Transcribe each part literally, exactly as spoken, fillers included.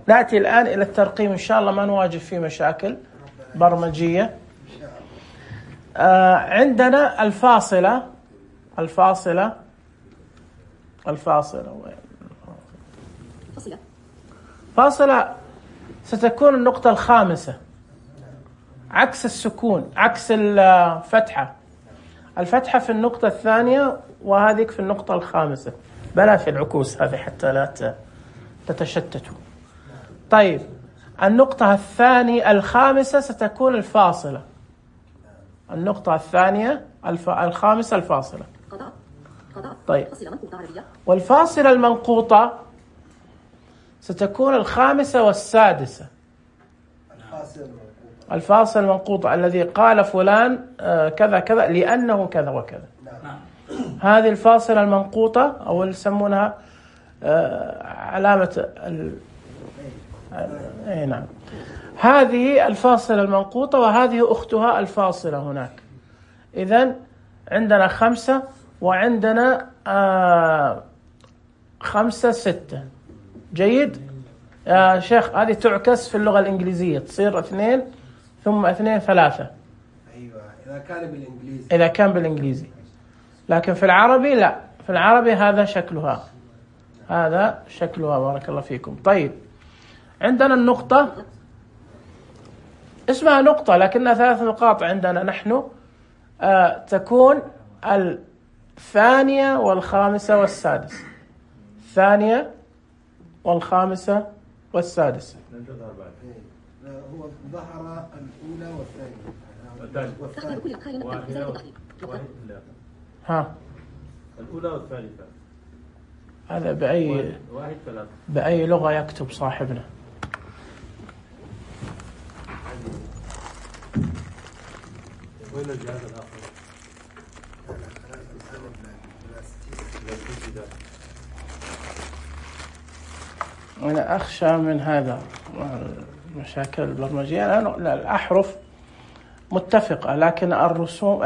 نأتي الآن إلى الترقيم إن شاء الله، ما نواجه فيه مشاكل برمجية. آه عندنا الفاصلة الفاصلة الفاصلة فاصلة ستكون النقطة الخامسة، عكس السكون، عكس الفتحة. الفتحة في النقطة الثانية وهذه في النقطة الخامسة، بلا في العكوس هذه حتى لا تتشتتوا. طيب النقطة الثانية الخامسة ستكون الفاصلة، النقطة الثانية الف... الخامسة الفاصلة. طيب والفاصلة المنقوطة ستكون الخامسة والسادسة. الفاصل المنقوطة الذي قال فلان كذا كذا لأنه كذا وكذا، هذه الفاصلة المنقوطة أو اللي يسمونها علامة ال... أي نعم، هذه الفاصلة المنقوطة وهذه أختها الفاصلة هناك. إذن عندنا خمسة وعندنا آه خمسة ستة. جيد يا شيخ، هذه تعكس في اللغة الإنجليزية، تصير اثنين ثم اثنين ثلاثة. أيوة إذا كان بالإنجليزي، إذا كان بالإنجليزي، لكن في العربي لا، في العربي هذا شكلها، هذا شكلها. بارك الله فيكم. طيب عندنا النقطة اسمها نقطة لكنها ثلاث نقاط عندنا نحن. آه تكون الثانية والخامسة والسادسة، الثانية والخامسة والسادسة. هو ظهر الأولى والثانية والثالثة. ها الأولى والثالثة. هذا بأي واحد ثلاثة. بأي لغة يكتب صاحبنا؟ وين الجهاز الآخر؟ أنا أخشى من هذا مشاكل البرمجية. الأحرف متفقة لكن الرسوم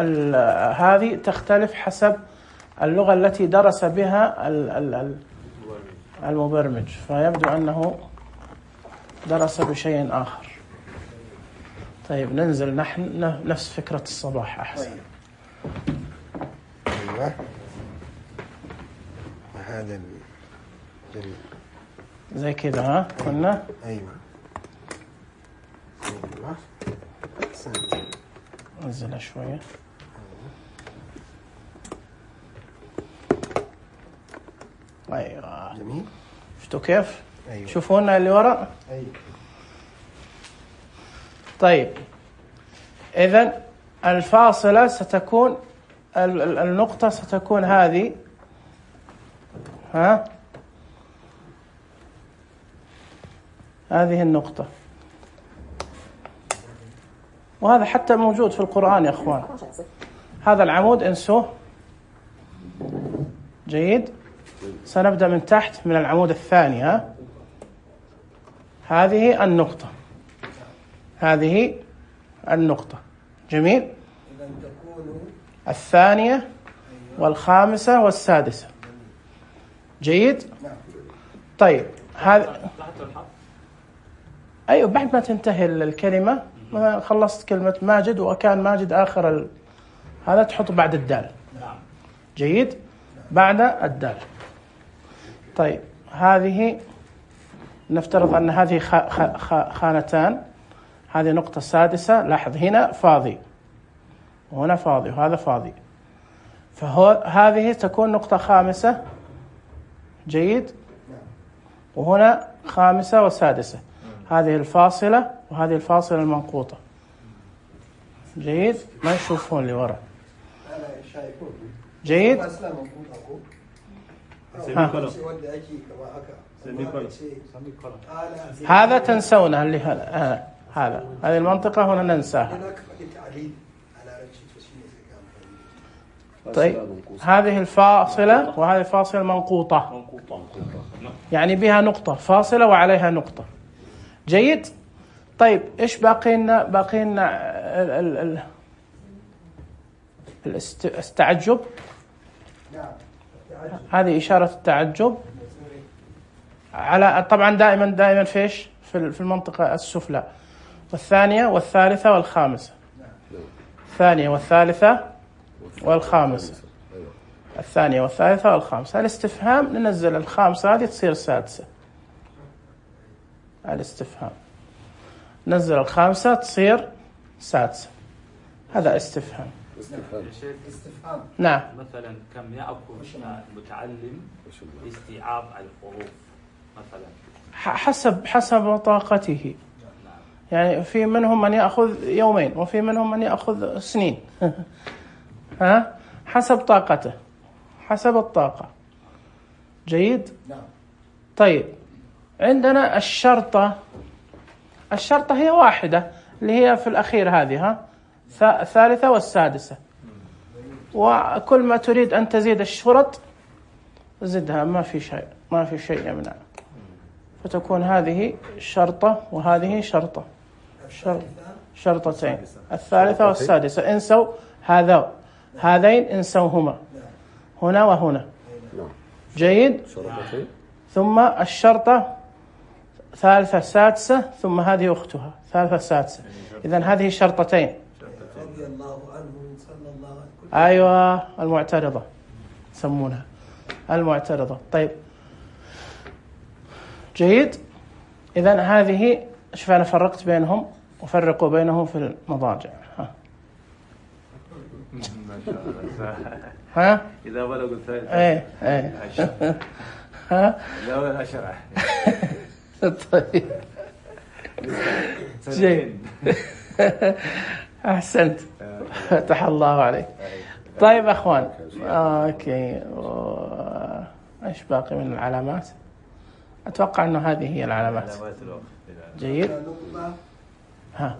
هذه تختلف حسب اللغة التي درس بها المبرمج، فيبدو أنه درس بشيء آخر. طيب ننزل نحن نفس فكرة الصباح أحسن. أيوة هذا جميل زي كذا. ها قلنا أيوة أيوة ننزل شوية. أيوة جميل. شفتوا كيف؟ أيوة. شوفونا اللي وراء. أيوة. طيب إذن الفاصلة ستكون النقطة ستكون هذه، ها هذه النقطة، وهذا حتى موجود في القرآن يا أخوان. هذا العمود انسوه. جيد، سنبدأ من تحت من العمود الثاني. ها هذه النقطة، هذه النقطة. جميل. إذا تكون الثانية والخامسة والسادسة. جيد. طيب هذا أيوة بعد ما تنتهي الكلمة، ما خلصت كلمة ماجد وكان ماجد آخر ال... هذا تحط بعد الدال. جيد، بعد الدال. طيب هذه نفترض أن هذه خ... خ... خانتان، هذه نقطة سادسة. لاحظ هنا فاضي وهنا فاضي وهذا فاضي، فهو هذه تكون نقطة خامسة. جيد، وهنا خامسة وسادسة. هذه الفاصلة وهذه الفاصلة المنقوطة. جيد، ما يشوفون اللي وراء. جيد. ها. هذا تنسونه اللي هذا هذا هذه المنطقة هنا ننساها. طيب هذه الفاصلة وهذه الفاصلة منقوطة، يعني بها نقطة فاصلة وعليها نقطة. جيد. طيب إيش باقي لنا؟ باقي لنا التعجب. هذه إشارة التعجب على طبعا دائما دائما فيش في المنطقة السفلى، والثانية والثالثة والخامسة. الثانية والثالثة والخامسة، الثانية والثالثة والخامسة. الاستفهام ننزل الخامسة هذه تصير السادسة. الاستفهام نزل الخامسة تصير سادسة. هذا استفهام. استفهام. نعم. مثلا كم يأخذ المتعلم استيعاب الحروف مثلا؟ حسب حسب طاقته. يعني في منهم من يأخذ يومين وفي منهم من يأخذ سنين. ها حسب طاقته، حسب الطاقة. جيد. نعم. طيب عندنا الشرطة. الشرطة هي واحدة اللي هي في الأخير هذه، ها الثالثة والسادسة. وكل ما تريد أن تزيد الشرط زدها، ما في شيء ما في شيء يمنع. فتكون هذه شرطة وهذه شرطة، شرطتين. الثالثة والسادسة انسوا هذا هذين انسوهما هنا وهنا. جيد. ثم الشرطة ثالثة سادسة، ثم هذه أختها ثالثة سادسة. إذن هذه شرطتين. رضي الله عنه صلى الله عليه وسلم. أيوة المعترضة يسمونها المعترضة. طيب جيد. إذن هذه شوف أنا فرقت بينهم وفرقوا بينهم في المضاجع. ها ما شاء الله. ها إذا بلغوا الثالث. إيه إيه. ها لا أشرح. طيب جيد. أحسنت. فتح الله عليك. طيب أخوان، أوكي، إيش باقي من العلامات؟ أتوقع أنه هذه هي العلامات. جيد. ها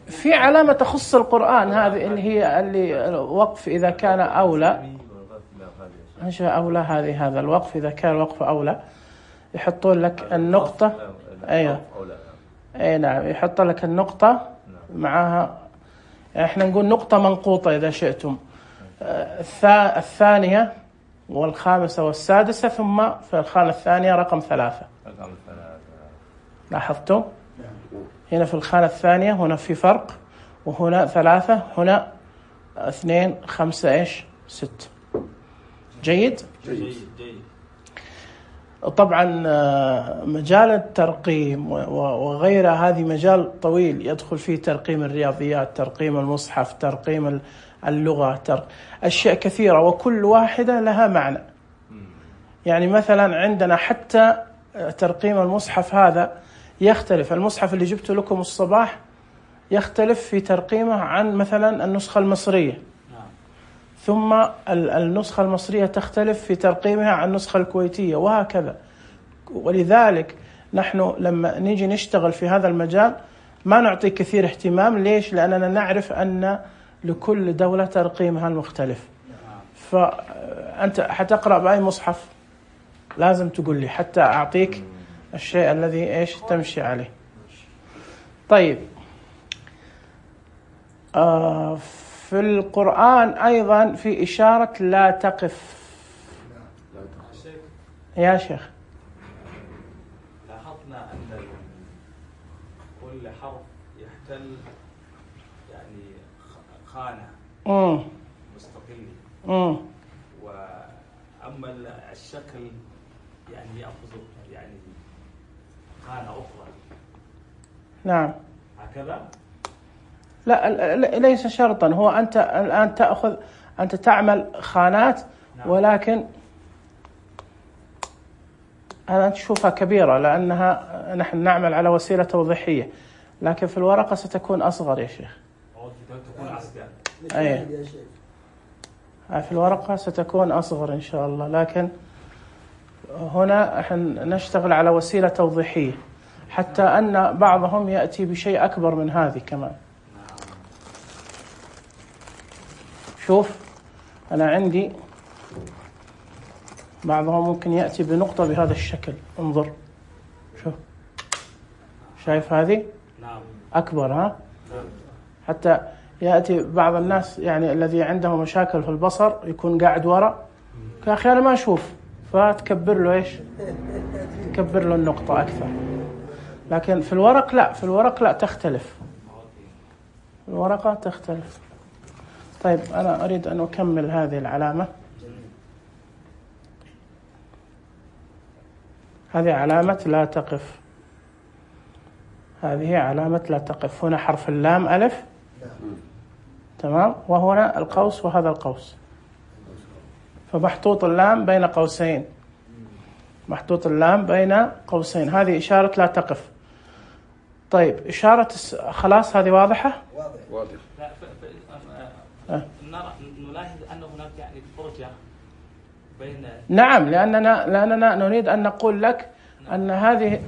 في علامة تخص القرآن، هذه اللي هي اللي وقف إذا كان أولى. إيش أولى؟ هذه هذا الوقف إذا كان الوقف أولى يحطون لك النقطة. أيوة أي نعم، يحط لك النقطة معها. إحنا نقول نقطة منقوطة إذا شئتم. الثانية والخامسة والسادسة، ثم في الخانة الثانية رقم ثلاثة. لاحظتم؟ هنا في الخانة الثانية هنا في فرق، وهنا ثلاثة، هنا اثنين، خمسة، إيش ست. جيد؟ جيد جيد. طبعا مجال الترقيم وغيره هذه مجال طويل يدخل فيه ترقيم الرياضيات، ترقيم المصحف، ترقيم اللغة، ترق... أشياء كثيرة، وكل واحدة لها معنى. يعني مثلا عندنا حتى ترقيم المصحف هذا يختلف. المصحف اللي جبت لكم الصباح يختلف في ترقيمه عن مثلا النسخة المصرية، ثم النسخة المصرية تختلف في ترقيمها عن النسخة الكويتية، وهكذا. ولذلك نحن لما نيجي نشتغل في هذا المجال ما نعطي كثير اهتمام. ليش؟ لأننا نعرف أن لكل دولة ترقيمها المختلف. فأنت حتقرأ بأي مصحف لازم تقول لي حتى أعطيك الشيء الذي إيش تمشي عليه. طيب آه في القرآن أيضا في إشارة لا تقف. يا شيخ لاحظنا أن كل حرف يحتل يعني خانة امم مستقلة، امم وأما الشكل يعني يأخذ يعني خانة أخرى. نعم هكذا. لا ليس شرطا. هو أنت الآن تأخذ أنت تعمل خانات، ولكن أنا تشوفها كبيرة لأنها نحن نعمل على وسيلة توضيحية، لكن في الورقة ستكون أصغر يا شيخ. تكون أصغر. أي في الورقة ستكون أصغر إن شاء الله، لكن هنا احنا نشتغل على وسيلة توضيحية، حتى أن بعضهم يأتي بشيء أكبر من هذه كمان. شوف أنا عندي بعضهم ممكن يأتي بنقطة بهذا الشكل. انظر شوف، شايف هذه أكبر، ها؟ حتى يأتي بعض الناس يعني الذي عنده مشاكل في البصر يكون قاعد وراء، يا أخي أنا ما أشوف، فتكبر له إيش؟ تكبر له النقطة أكثر. لكن في الورق لا، في الورق لا تختلف، الورقة تختلف. طيب أنا أريد أن أكمل هذه العلامة. هذه علامة لا تقف، هذه علامة لا تقف. هنا حرف اللام ألف، تمام، وهنا القوس وهذا القوس، فمحطوط اللام بين قوسين، محطوط اللام بين قوسين، هذه إشارة لا تقف. طيب إشارة خلاص هذه واضحة؟ واضح. لا ف... ف... أه. نلاحظ أن هناك يعني فرجة بين. نعم، لأننا لأننا نريد أن نقول لك أن هذه،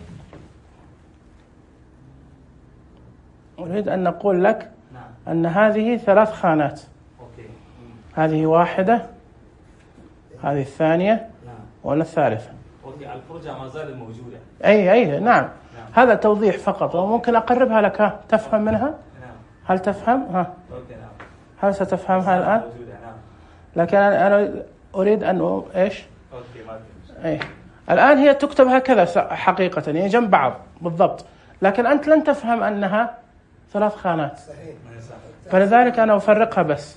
نريد أن نقول لك أن هذه ثلاث خانات. أوكي. هذه واحدة، هذه الثانية، وهنا الثالثة. أوكي، الفرجة ما زالت موجودة. أي أي نعم. نعم. هذا توضيح فقط، وممكن أقربها لك. ها تفهم منها؟ نعم. هل تفهم؟ ها. أوكي نعم. هل ستفهمها الآن؟ موجودة نعم. لكن أنا أريد أن إيش؟ أوكي ما أي. الآن هي تكتب هكذا حقيقة، هي جنب بعض بالضبط، لكن أنت لن تفهم أنها ثلاث خانات. صحيح. فلذلك أنا أفرقها بس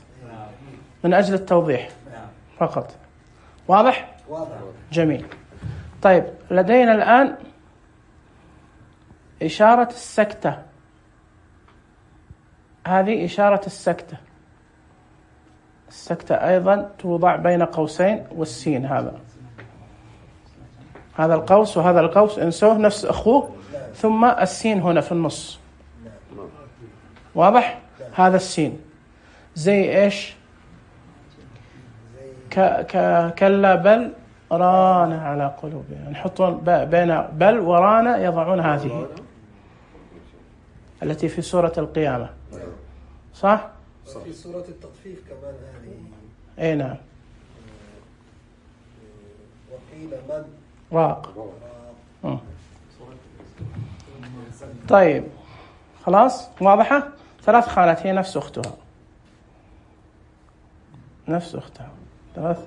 من أجل التوضيح فقط. واضح؟ واضح. جميل. طيب لدينا الآن إشارة السكتة، هذه إشارة السكتة. السكتة أيضا توضع بين قوسين، والسين هذا، هذا القوس وهذا القوس انسوه نفس أخوه، ثم السين هنا في النص. واضح؟ هذا السين زي إيش؟ ك ك كلا بل ران على قلوبهم، نحطون بين بل وران، يضعون هذه التي في سورة القيامة، صح؟ في سورة التطفيف كمان هذه. أي نعم. وقيل من راق. طيب خلاص واضحة. ثلاث خانات، هي نفس أختها، نفس أختها، ثلاث،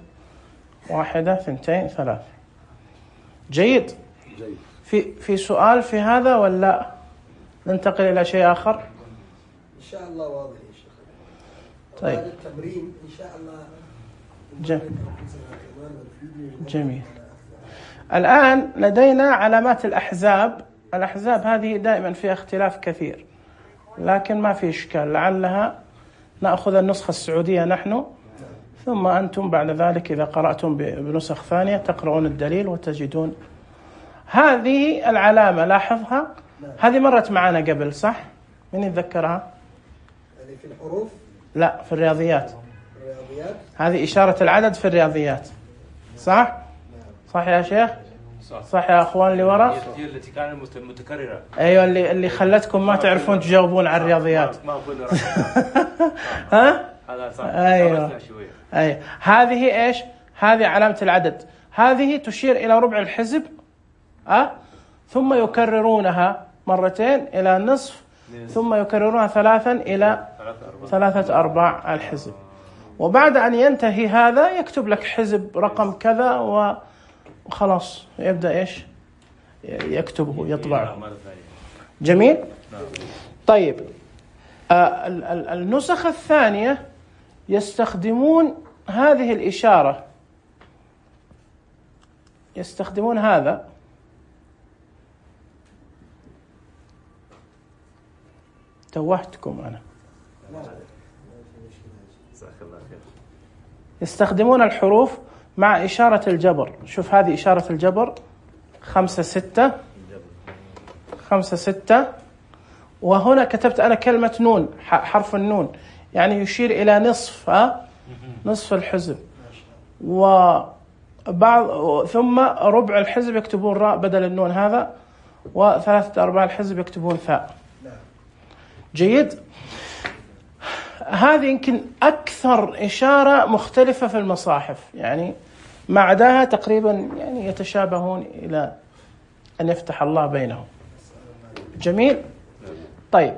واحدة، ثنتين، ثلاث. جيد. جيد. في في سؤال في هذا ولا ننتقل إلى شيء آخر؟ إن شاء الله واضح يا شيخ. طيب. هذا التمرين إن شاء الله. جميل. جميل. الآن لدينا علامات الأحزاب. الأحزاب هذه دائما فيها اختلاف كثير، لكن ما في إشكال، لعلها نأخذ النسخة السعودية نحن، ثم أنتم بعد ذلك إذا قرأتم بنسخ ثانية تقرؤون الدليل وتجدون هذه العلامة. لاحظها، هذه مرت معنا قبل، صح؟ من يتذكرها؟ يعني في الحروف؟ لا، في الرياضيات. الرياضيات؟ هذه إشارة العدد في الرياضيات، صح؟ صح يا شيخ؟ صح يا أخوان اللي وراء؟ هي التي كانت متكررة. أيوة، اللي اللي خلتكم ما تعرفون تجاوبون على الرياضيات. ها؟ هذا صح. أيوة. أي هذه إيش؟ هذه علامة العدد، هذه تشير إلى ربع الحزب، أه؟ ثم يكررونها مرتين إلى نصف، ثم يكررونها ثلاثا إلى ثلاثة أرباع الحزب. وبعد أن ينتهي هذا يكتب لك حزب رقم كذا وخلاص يبدأ إيش؟ يكتبه، يطبعه. جميل؟ طيب آه النسخ الثانية يستخدمون هذه الإشارة، يستخدمون هذا، توهتكم أنا، يستخدمون الحروف مع إشارة الجبر. شوف هذه إشارة الجبر، خمسة ستة خمسة ستة، وهنا كتبت أنا كلمة نون، حرف النون، يعني يشير إلى نصف، ها؟ نصف الحزب. وبعض ثم ربع الحزب يكتبون راء بدل النون هذا، وثلاثة أرباع الحزب يكتبون ثاء. جيد. هذه يمكن أكثر إشارة مختلفة في المصاحف، يعني ما عداها تقريبا يعني يتشابهون إلى أن يفتح الله بينهم. جميل. طيب